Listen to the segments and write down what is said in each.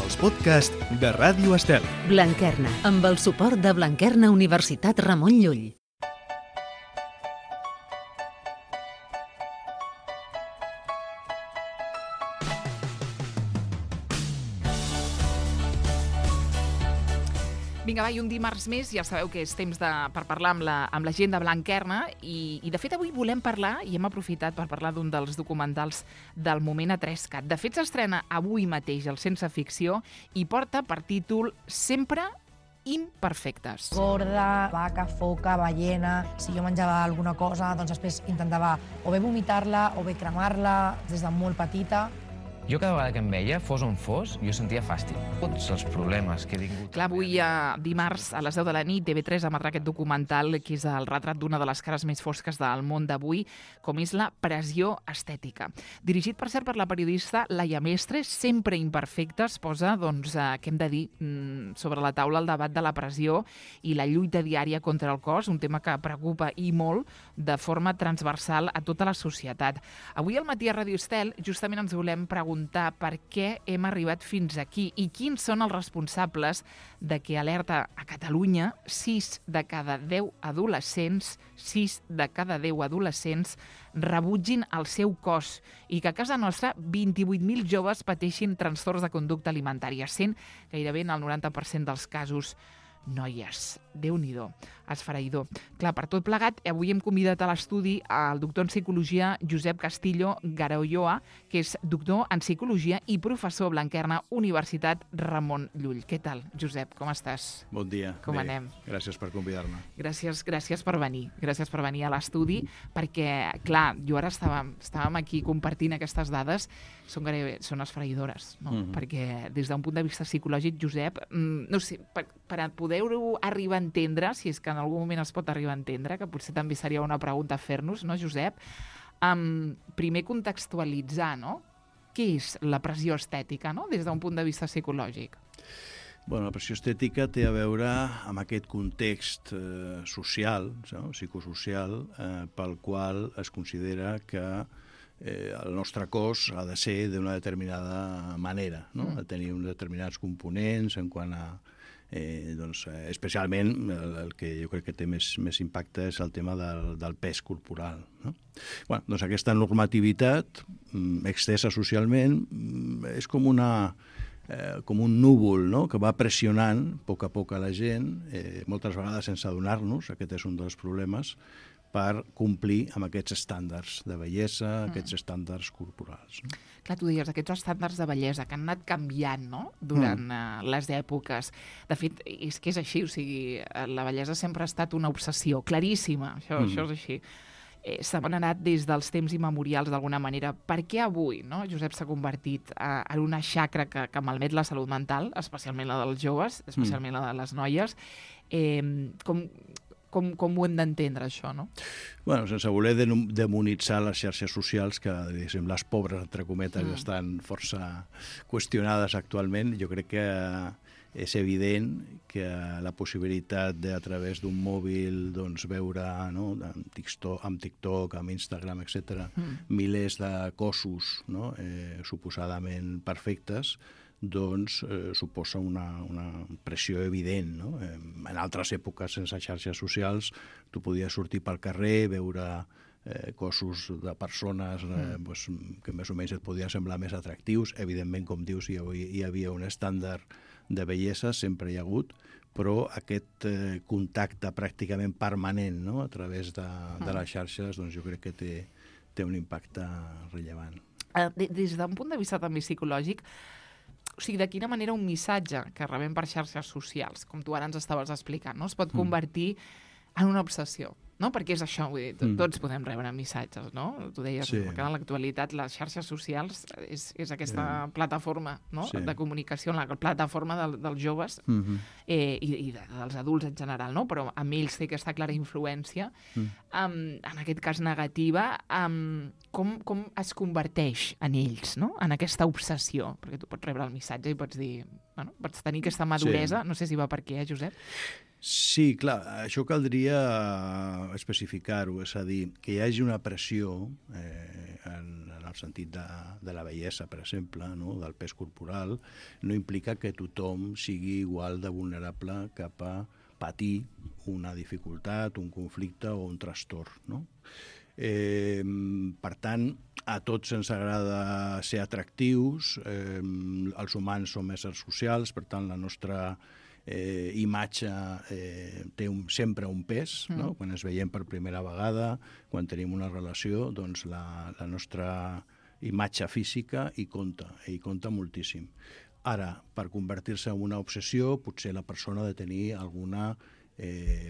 els podcasts de Ràdio Estel. Blanquerna, amb el suport de Blanquerna Universitat Ramon Llull. Vinga, va, i un dimarts més, ja sabeu que és temps per parlar amb la gent de Blanquerna i de fet avui volem parlar, i hem aprofitat per parlar d'un dels documentals del moment a 3CAT. De fet, s'estrena avui mateix el Sense Ficció i porta per títol Sempre imperfectes. Gorda, vaca, foca, ballena... Si jo menjava alguna cosa, doncs després intentava o bé vomitar-la o bé cremar-la des de molt petita. Jo cada vegada que em veia, fos on fos, jo sentia fàstic. Tots els problemes que he tingut... Clar, avui dimarts a les 10 de la nit TV3 emetrà aquest documental que és el retrat d'una de les cares més fosques del món d'avui, com és la pressió estètica. Dirigit, per cert, per la periodista Laia Mestre, Sempre imperfectes, posa, doncs, què hem de dir, sobre la taula el debat de la pressió i la lluita diària contra el cos, un tema que preocupa i molt de forma transversal a tota la societat. Avui al matí a Ràdio Estel justament ens volem preguntar per què hem arribat fins aquí i quins són els responsables de que, alerta a Catalunya, 6 de cada 10 adolescents rebutgin el seu cos i que a casa nostra 28.000 joves pateixin trastorns de conducta alimentària, sent gairebé en el 90% dels casos noies. Déu-n'hi-do, esfereïdor. Clar, per tot plegat, avui hem convidat a l'estudi el doctor en psicologia Josep Castillo Garoyoa, que és doctor en psicologia i professor a Blanquerna Universitat Ramon Llull. Què tal, Josep? Com estàs? Bon dia. Com anem? Gràcies per convidar-me. Gràcies per venir. Gràcies per venir a l'estudi, perquè, clar, jo ara estàvem aquí compartint aquestes dades, són esfereïdores, no? Perquè des d'un punt de vista psicològic, Josep, no sé, per poder-ho arribar a entendre, si és que en algun moment es pot arribar a entendre, que potser també seria una pregunta a fer-nos, no, Josep? Primer contextualitzar, no? Què és la pressió estètica, no?, des d'un punt de vista psicològic? Bueno, la pressió estètica té a veure amb aquest context social, no? Psicosocial, pel qual es considera que el nostre cos ha de ser d'una determinada manera, no? Ha de tenir uns determinats components en quant a especialment el que jo crec que té més impacte és el tema del pes corporal, no? Bueno, doncs aquesta normativitat extesa socialment és com un núvol, no?, que va pressionant a poc a la gent, moltes vegades sense adonar-nos, aquest és un dels problemes, per complir amb aquests estàndards de bellesa, aquests estàndards corporals, no? Clar, tu deies, aquests estàndards de bellesa que han anat canviant, no?, durant les èpoques. De fet, és que és així, o sigui, la bellesa sempre ha estat una obsessió claríssima, això és així. Se m'han anat des dels temps immemorials d'alguna manera. Per què avui, no, Josep, s'ha convertit en una xacra que malmet la salut mental, especialment la dels joves, especialment la de les noies? Com ho hem d'entendre, això, no? Bueno, sense voler demonitzar les xarxes socials, que, diguéssim, les pobres, entre cometes, estan força qüestionades actualment, jo crec que és evident que la possibilitat de, a través d'un mòbil, doncs, veure, no?, amb TikTok, amb Instagram, etc., milers de cossos, no?, suposadament perfectes, doncs suposa una pressió evident, no? En altres èpoques, sense xarxes socials, tu podies sortir pel carrer, veure cossos de persones que més o menys et podien semblar més atractius. Evidentment, com dius, hi havia un estàndard de bellesa, sempre hi ha hagut, però aquest contacte pràcticament permanent, no?, a través de les xarxes, doncs jo crec que té un impacte rellevant. Des d'un punt de vista també psicològic, o sigui, de quina manera un missatge que rebem per xarxes socials, com tu ara ens estaves explicant, no?, es pot convertir en una obsessió, no? Perquè és això, vull dir, tots podem rebre missatges, no? Tu deies que en l'actualitat les xarxes socials és aquesta plataforma, no?, de comunicació, la plataforma dels joves i dels adults en general, no? Però amb ells té aquesta clara influència, en aquest cas negativa, com es converteix en ells, no?, en aquesta obsessió, perquè tu pots rebre el missatge i pots dir, bueno, pots tenir aquesta maduresa, no sé si va per què, Josep? Sí, clar, això caldria especificar-ho, és a dir, que hi hagi una pressió en el sentit de la bellesa, per exemple, no? Del pes corporal, no implica que tothom sigui igual de vulnerable cap a patir una dificultat, un conflicte o un trastorn, no? Per tant, a tots ens agrada ser atractius, els humans som éssers socials, per tant, la nostra imatge té sempre un pes, no? Quan ens veiem per primera vegada, quan tenim una relació, doncs la nostra imatge física hi compta moltíssim. Ara, per convertir-se en una obsessió, potser la persona ha de tenir alguna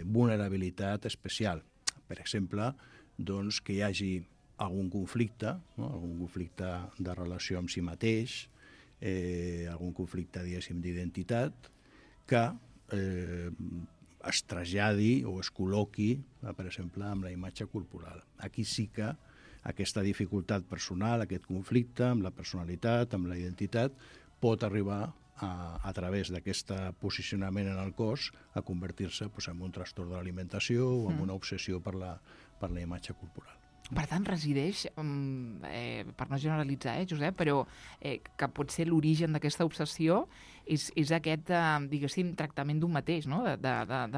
vulnerabilitat especial. Per exemple, doncs, que hi hagi algun conflicte, no? Algun conflicte de relació amb si mateix, algun conflicte, diguéssim, d'identitat, que es traslladi o es col·loqui, per exemple, amb la imatge corporal. Aquí sí que aquesta dificultat personal, aquest conflicte amb la personalitat, amb la identitat, pot arribar a través d'aquest posicionament en el cos a convertir-se en un trastorn de l'alimentació o en una obsessió per la imatge corporal. Per tant, resideix, per no generalitzar, Josep, però que pot ser l'origen d'aquesta obsessió és aquest, diguéssim, tractament d'un mateix, no? De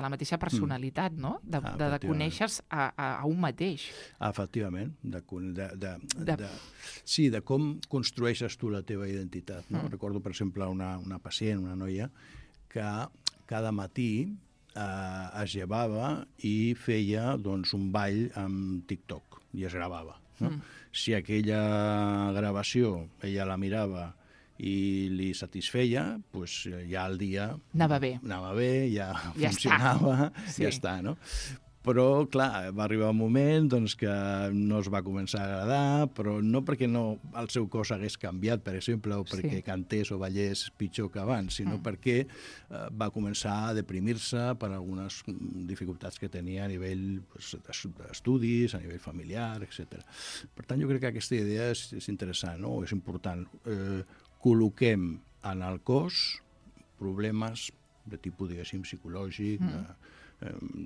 la mateixa personalitat, no? De conèixer-se a un mateix. Efectivament. Sí, de com construeixes tu la teva identitat. No? Recordo, per exemple, una pacient, una noia, que cada matí es llevava i feia un ball amb TikTok i es gravava. No? Si aquella gravació ella la mirava i li satisfeia, doncs ja el dia anava bé, ja funcionava, ja està, no? Però, clar, va arribar un moment que no es va començar a agradar, però no perquè el seu cos hagués canviat, per exemple, o perquè cantés o ballés pitjor que abans, sinó perquè va començar a deprimir-se per algunes dificultats que tenia a nivell d'estudis, a nivell familiar, etc. Per tant, jo crec que aquesta idea és interessant, no? És important. Col·loquem en el cos problemes de tipus, diguéssim, psicològic,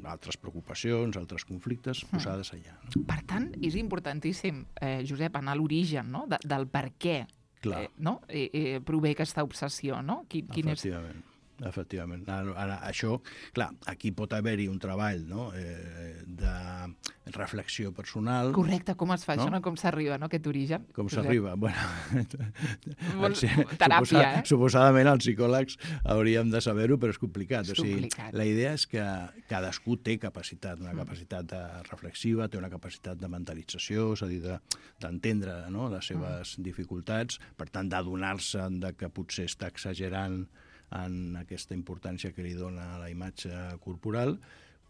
altres preocupacions, altres conflictes posades allà. Per tant, és importantíssim, Josep, anar a l'origen, no? Del per què prové aquesta obsessió, no? Efectivament. Ara, això, clar, aquí pot haver-hi un treball, no? De reflexió personal. Correcte, com es fa això, no? Com s'arriba, no? Aquest origen. Com s'arriba? Teràpia, Suposadament els psicòlegs hauríem de saber-ho, però és complicat. La idea és que cadascú té capacitat, una capacitat reflexiva, té una capacitat de mentalització, és a dir, d'entendre les seves dificultats, per tant, d'adonar-se que potser està exagerant en aquesta importància que li dona a la imatge corporal,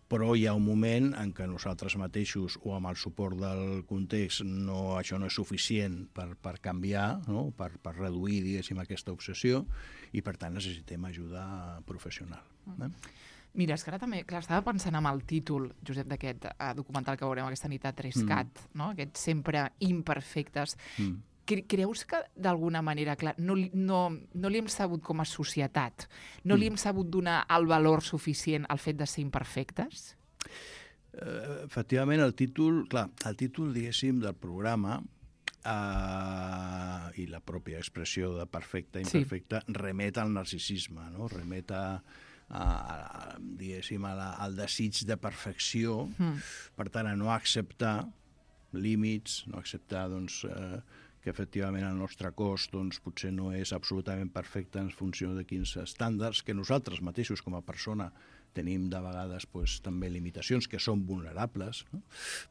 però hi ha un moment en què nosaltres mateixos o amb el suport del context això no és suficient per canviar, no? per reduir, diguéssim, aquesta obsessió, i per tant necessitem ajuda professional. Mira, és que ara també, clar, estava pensant en el títol, Josep, d'aquest documental que veurem aquesta nit a 3CAT, no? Aquests sempre imperfectes. Creus que, d'alguna manera, clar, no li hem sabut com a societat, no li hem sabut donar el valor suficient al fet de ser imperfectes? Efectivament, el títol, diguéssim, del programa i la pròpia expressió de perfecte, imperfecte, remet al narcisisme, no? Remet diguéssim, al desig de perfecció, per tant, a no acceptar límits, no acceptar, que efectivament el nostre cos potser no és absolutament perfecte en funció de quins estàndards, que nosaltres mateixos com a persona tenim de vegades també limitacions que són vulnerables. No?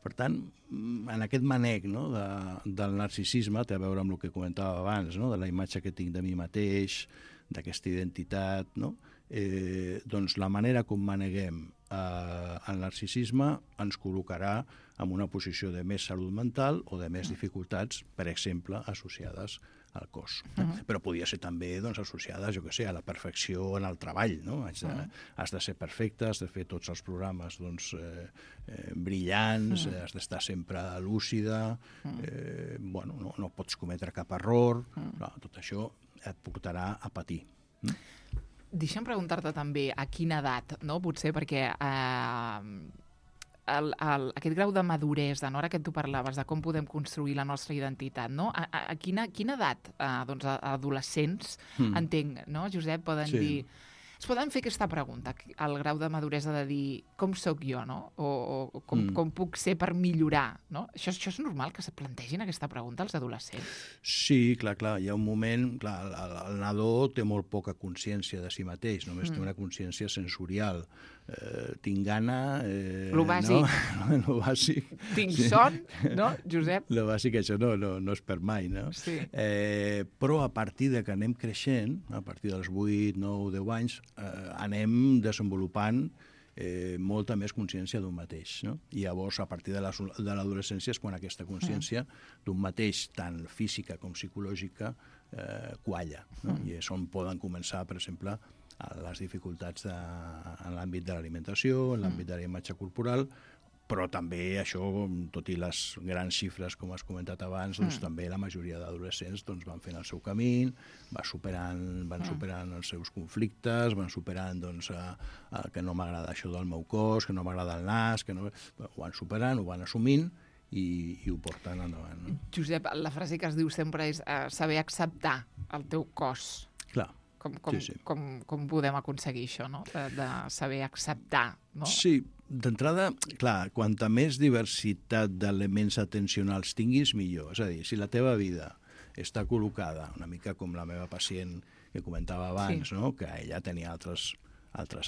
Per tant, en aquest manec del narcisisme té a veure amb el que comentava abans, de la imatge que tinc de mi mateix, d'aquesta identitat, la manera com maneguem el narcisisme ens col·locarà en una posició de més salut mental o de més dificultats, per exemple, associades al cos. Però podia ser també associades, a la perfecció en el treball. Has de ser perfecte, has de fer tots els programes brillants, has d'estar sempre lúcida, no pots cometre cap error, tot això et portarà a patir. Deixa'm preguntar-te també a quina edat, no? Potser perquè aquest grau de maduresa, no? Ara que tu parlaves de com podem construir la nostra identitat, no? A quina edat, doncs, adolescents, entenc, no, Josep, poden dir... Es poden fer aquesta pregunta, el grau de maduresa de dir com sóc jo, no? O com puc ser per millorar, no? Això és normal que se plantegin aquesta pregunta als adolescents? Sí, clar, hi ha un moment... Clar, el nadó té molt poca consciència de si mateix, només té una consciència sensorial. Tinc gana... Lo bàsic. No? Lo bàsic. Tinc son, no, Josep? Lo bàsic, això no es perd mai, no? Sí. Però a partir de que anem creixent, a partir dels 8, 9, 10 anys, anem desenvolupant molta més consciència d'un mateix, no? I llavors, a partir de l'adolescència és quan aquesta consciència d'un mateix, tant física com psicològica, qualla, no? I és on poden començar, per exemple, les dificultats en l'àmbit de l'alimentació, en l'àmbit de la imatge corporal, però també això, tot i les grans xifres, com has comentat abans, doncs també la majoria d'adolescents doncs, van fent el seu camí, van superant els seus conflictes, van superant doncs, que no m'agrada això del meu cos, que no m'agrada el nas, ho van superant, ho van assumint i ho porten endavant. No? Josep, la frase que es diu sempre és saber acceptar el teu cos. Clar. Com podem aconseguir això, no? De saber acceptar, no? Sí, d'entrada, clar, quanta més diversitat d'elements atencionals tinguis, millor. És a dir, si la teva vida està col·locada, una mica com la meva pacient que comentava abans, no? Que ella tenia altres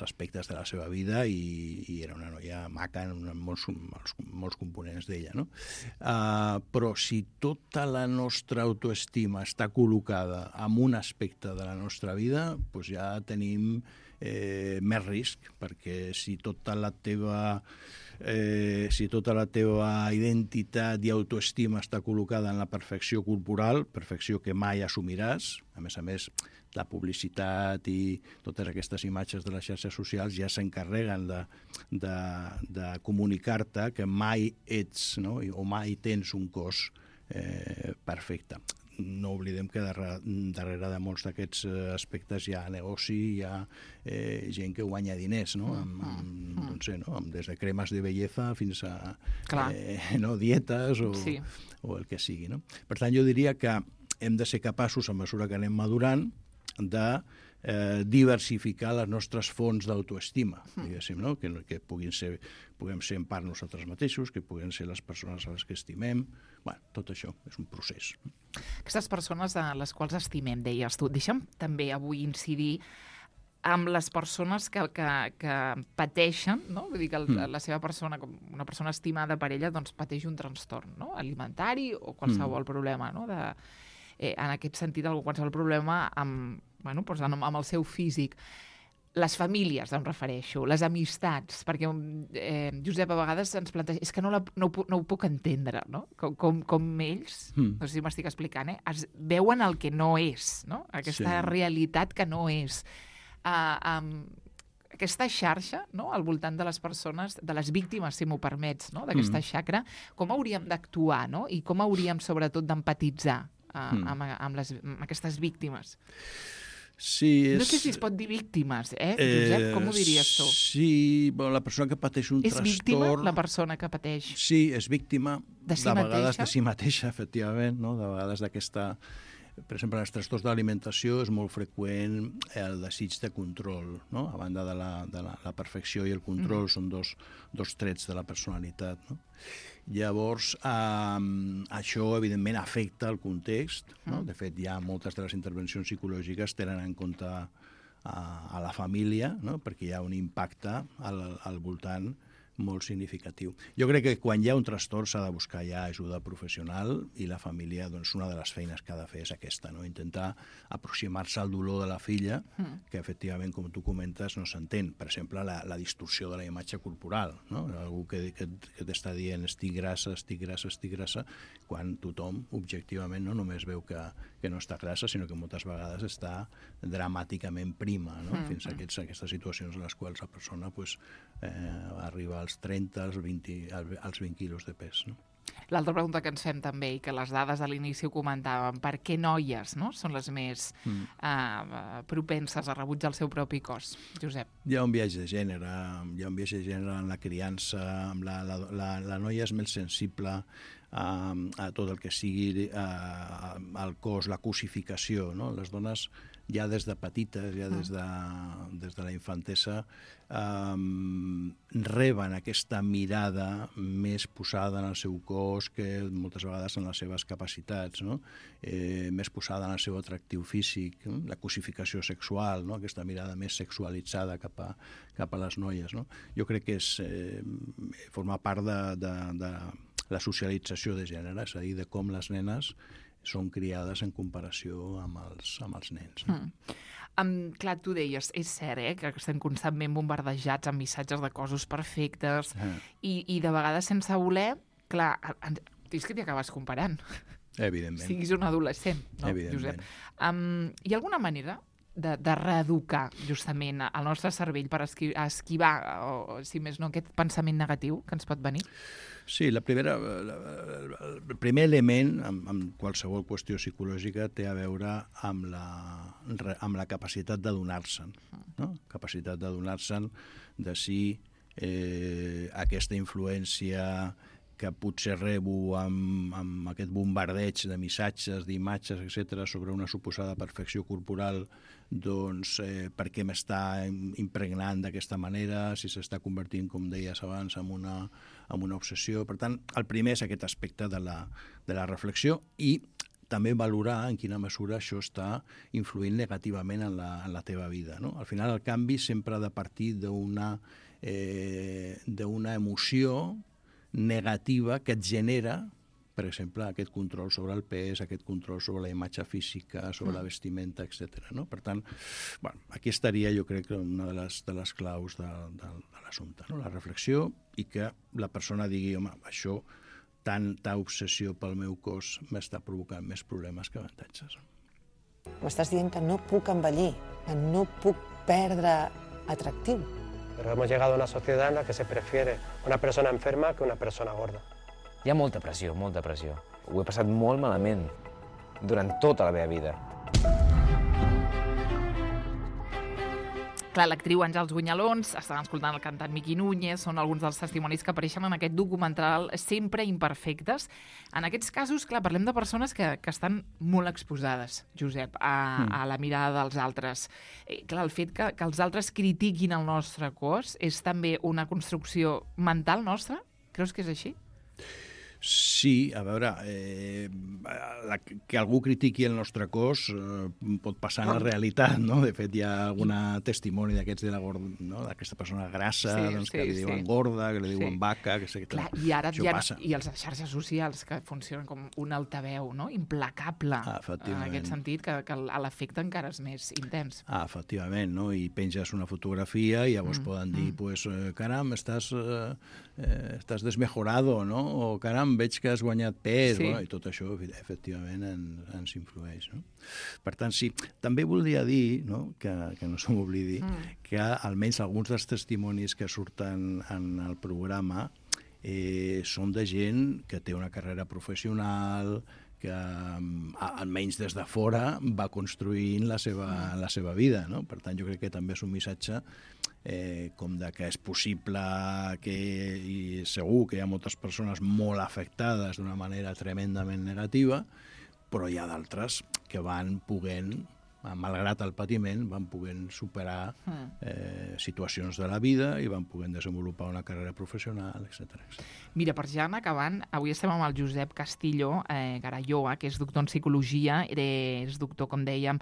aspectes de la seva vida i era una noia maca en molts components d'ella, no? Però si tota la nostra autoestima està col·locada en un aspecte de la nostra vida, doncs ja tenim més risc, perquè si tota la teva identitat i autoestima està col·locada en la perfecció corporal, perfecció que mai assumiràs, a més, la publicitat i totes aquestes imatges de les xarxes socials ja s'encarreguen de comunicar-te que mai ets, no? O mai tens un cos perfecte. No oblidem que darrere de molts d'aquests aspectes hi ha negoci, hi ha gent que guanya diners, no? Des de cremes de bellesa fins a dietes o el que sigui. No? Per tant, jo diria que hem de ser capaços, a mesura que anem madurant, de diversificar les nostres fonts d'autoestima, diguéssim, no? Que puguem ser en part nosaltres mateixos, que puguem ser les persones a les que estimem. Bueno, tot això és un procés. Aquestes persones a les quals estimem, deies tu. Deixa'm també avui incidir amb les persones que pateixen, no? Vull dir que la seva persona, com una persona estimada per ella, doncs pateix un trastorn, no? Alimentari o qualsevol problema, no? En aquest sentit, qualsevol problema amb el seu físic. Les famílies, em refereixo, les amistats, perquè Josep a vegades ens planteja, és que no ho puc entendre, no? Com ells, no sé si m'estic explicant, es veuen el que no és, no? Aquesta realitat que no és. Aquesta xarxa, no? Al voltant de les persones, de les víctimes, si m'ho permets, no? D'aquesta xacra, com hauríem d'actuar, no? I com hauríem, sobretot, d'empatitzar amb aquestes víctimes? Sí, no sé si es pot dir víctimes, Josep? Com ho diries tu? Sí, la persona que pateix un trastorn... És víctima la persona que pateix? Sí, és víctima de vegades de si mateixa, efectivament, no? De vegades d'aquesta... Per exemple, en els trastorns d'alimentació és molt freqüent el desig de control, no? A banda de la perfecció i el control són dos trets de la personalitat, no? Llavors, això, evidentment, afecta el context, no? De fet, ja moltes de les intervencions psicològiques tenen en compte a la família, no? Perquè hi ha un impacte al voltant molt significatiu. Jo crec que quan hi ha un trastorn s'ha de buscar ja ajuda professional i la família, doncs, una de les feines que ha de fer és aquesta, no? Intentar aproximar-se al dolor de la filla, que efectivament, com tu comentes, no s'entén. Per exemple, la distorsió de la imatge corporal, no? Algú que t'està dient estic grassa, quan tothom, objectivament, no només veu que no està grassa, sinó que moltes vegades està dramàticament prima, no? Fins a aquestes situacions en les quals la persona arriba als 30, als 20 quilos de pes, no? L'altra pregunta que ens fem també, i que les dades a l'inici ho comentàvem, per què noies, no?, són les més propenses a rebutjar el seu propi cos? Josep. Hi ha un viatge de gènere, en la criança, la noia és més sensible a tot el que sigui el cos, la cosificació, no? Les dones ja des de petites, ja des de la infantesa, reben aquesta mirada més posada en el seu cos que moltes vegades en les seves capacitats, no? Més posada en el seu atractiu físic, no? La cosificació sexual, no? Aquesta mirada més sexualitzada cap a les noies, no? Jo crec que forma part de la socialització de gènere, és a dir, de com les nenes són criades en comparació amb els nens. No? Clar, tu deies, és cert, que estem constantment bombardejats amb missatges de cossos perfectes i de vegades sense voler, clar, és que t'hi acabes comparant. Evidentment. Siguis un adolescent, no, Josep? Hi ha alguna manera de reeducar justament el nostre cervell per esquivar, o si més no, aquest pensament negatiu que ens pot venir? Sí, el primer element en qualsevol qüestió psicològica té a veure amb la capacitat d'adonar-se'n, no? Capacitat d'adonar-se'n de si aquesta influència que potser rebo amb aquest bombardeig de missatges, d'imatges, etc., sobre una suposada perfecció corporal, doncs per què m'està impregnant d'aquesta manera, si s'està convertint, com deies abans, en una obsessió. Per tant, el primer és aquest aspecte de la reflexió i també valorar en quina mesura això està influint negativament en la teva vida, no? Al final, el canvi sempre ha de partir d'una emoció negativa que et genera, per exemple, aquest control sobre el pes, aquest control sobre la imatge física, sobre la vestimenta, etc. No? Per tant, bueno, aquí estaria, jo crec, una de les claus de l'assumpte, no? La reflexió i que la persona digui, home, això, tanta obsessió pel meu cos m'està provocant més problemes que avantatges. M'estàs dient que no puc envellir, que no puc perdre atractiu. Pero hemos llegado a una sociedad en la que se prefiere una persona enferma que una persona gorda. Hi ha molta pressió, molta pressió. Ho he passat molt malament durant tota la meva vida. Clar, l'actriu Àngels Bunyalons, estàvem escoltant el cantant Miqui Núñez, són alguns dels testimonis que apareixen en aquest documental Sempre imperfectes. En aquests casos, clar, parlem de persones que estan molt exposades, Josep, a la mirada dels altres. Clar, el fet que els altres critiquin el nostre cos és també una construcció mental nostra? Creus que és així? Sí, a veure, que algú critiqui el nostre cos pot passar en la realitat, no? De fet, hi ha algun testimoni d'aquests d'aquesta persona grassa, que li diuen gorda, que li diuen vaca, que sé què tal. I ara i les xarxes socials que funcionen com un altaveu, no? Implacable, en aquest sentit, que l'efecte encara és més intens. Efectivament, no? I penges una fotografia i llavors poden dir, pues, caram, estàs desmejorado, no? O caram, veig que has guanyat pes, i tot això, efectivament, ens influeix. No? Per tant, sí, també voldria dir, no? que no se m'oblidi, que almenys alguns dels testimonis que surten en el programa són de gent que té una carrera professional, que almenys des de fora va construint la seva vida. No? Per tant, jo crec que també és un missatge com de que és possible i segur que hi ha moltes persones molt afectades d'una manera tremendament negativa, però hi ha d'altres que van podent, malgrat el patiment, van podent superar situacions de la vida i van podent desenvolupar una carrera professional, etc. Mira, per ja anar acabant, avui estem amb el Josep Castillo Garalloa, que és doctor en psicologia, és doctor, com dèiem,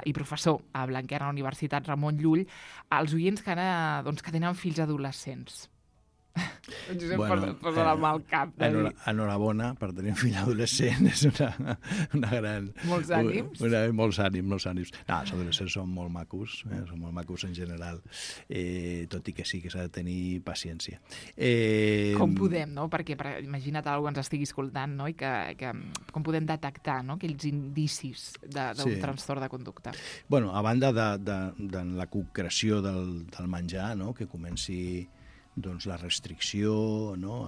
i professor a Blanquerna, a la Universitat Ramon Llull. Els oients que ara que tenen fills adolescents. Josep posa la mà al cap. Enhorabona per tenir un fill adolescent, és una gran... Molts ànims. Molts ànims. No, els adolescents són molt macos, són molt macos en general, tot i que sí que s'ha de tenir paciència. Com podem, no? Perquè imagina't algú ens estigui escoltant, no? I com podem detectar, no? Aquells indicis d'un trastorn de conducta. Bueno, a banda de la concreció del menjar, no? Que comenci doncs la restricció, no?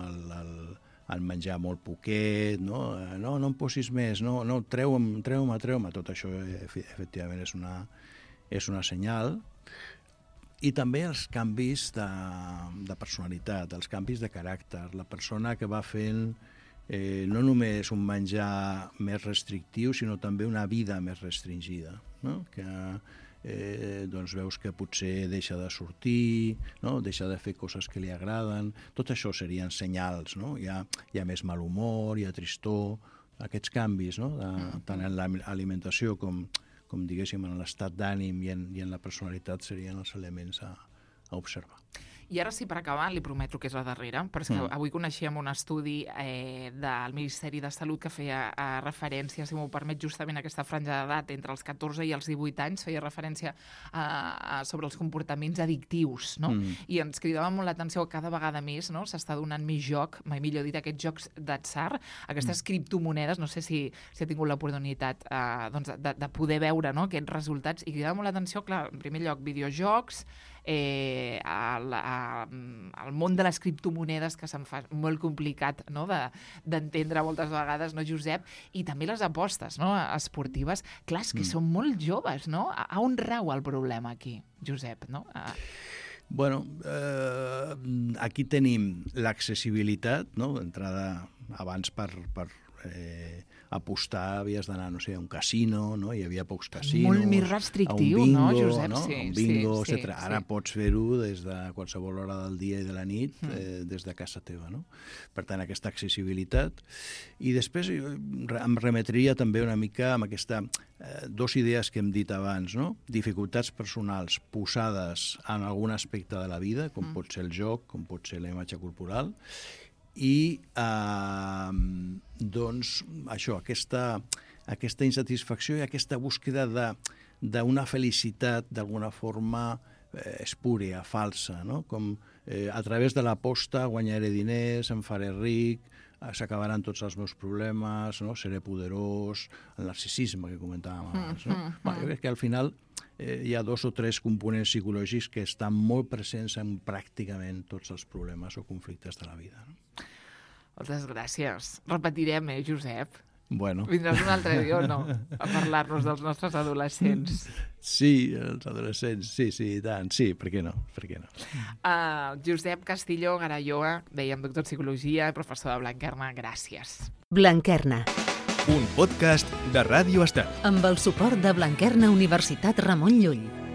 el menjar molt poquet, no em posis més, no, treu-me, tot això efectivament és una senyal. I també els canvis de personalitat, els canvis de caràcter, la persona que va fent no només un menjar més restrictiu, sinó també una vida més restringida, no? Que doncs veus que potser deixa de sortir, no? Deixa de fer coses que li agraden. Tot això serien senyals, no? Hi ha més mal humor, hi ha tristor, aquests canvis, no? Tant en l'alimentació com diguéssim en l'estat d'ànim i en la personalitat serien els elements a observar. I ara sí, per acabar, li prometo que és la darrera, però és que avui coneixíem un estudi del Ministeri de Salut que feia referència, si m'ho permet, justament a aquesta franja d'edat entre els 14 i els 18 anys, feia referència sobre els comportaments addictius, no? I ens cridava molt l'atenció que cada vegada més, no? S'està donant més joc, mai millor dit, aquests jocs d'atzar, aquestes criptomonedes, no sé si ha tingut l'oportunitat de poder veure, no? Aquests resultats, i cridava molt l'atenció, clar, en primer lloc, videojocs, el món de les criptomonedes, que se'n fa molt complicat, no? d'entendre moltes vegades, no, Josep? I també les apostes, no? Esportives. Clar, és que són molt joves, no? A on rau el problema aquí, Josep? No? Bueno, aquí tenim l'accessibilitat, no? D'entrada, abans per apostar havies d'anar, no sé, a un casino, no? Hi havia pocs casinos. Molt més restrictiu, bingo, no, Josep? No? Sí, un bingo, sí, etc. Ara pots fer-ho des de qualsevol hora del dia i de la nit, des de casa teva, no? Per tant, aquesta accessibilitat. I després em remetria també una mica amb aquesta dos idees que hem dit abans, no? Dificultats personals posades en algun aspecte de la vida, com pot ser el joc, com pot ser la imatge corporal, i doncs això, aquesta insatisfacció i aquesta búsqueda d'una felicitat d'alguna forma espúria, falsa, no? Com a través de l'aposta guanyaré diners, em faré ric, s'acabaran tots els meus problemes, no? Seré poderós, el narcisisme que comentàvem abans, no? Jo crec que al final hi ha 2 o 3 components psicològics que estan molt presents en pràcticament tots els problemes o conflictes de la vida, no? Moltes gràcies. Repetirem, Josep? Bueno. Vindràs un altre dia o no? A parlar-nos dels nostres adolescents. Sí, els adolescents, sí, i tant. Sí, per què no? Josep Castillo Garalloa, dèiem doctor en Psicologia, professor de Blanquerna, gràcies. Blanquerna. Un podcast de Ràdio Estel. Amb el suport de Blanquerna Universitat Ramon Llull.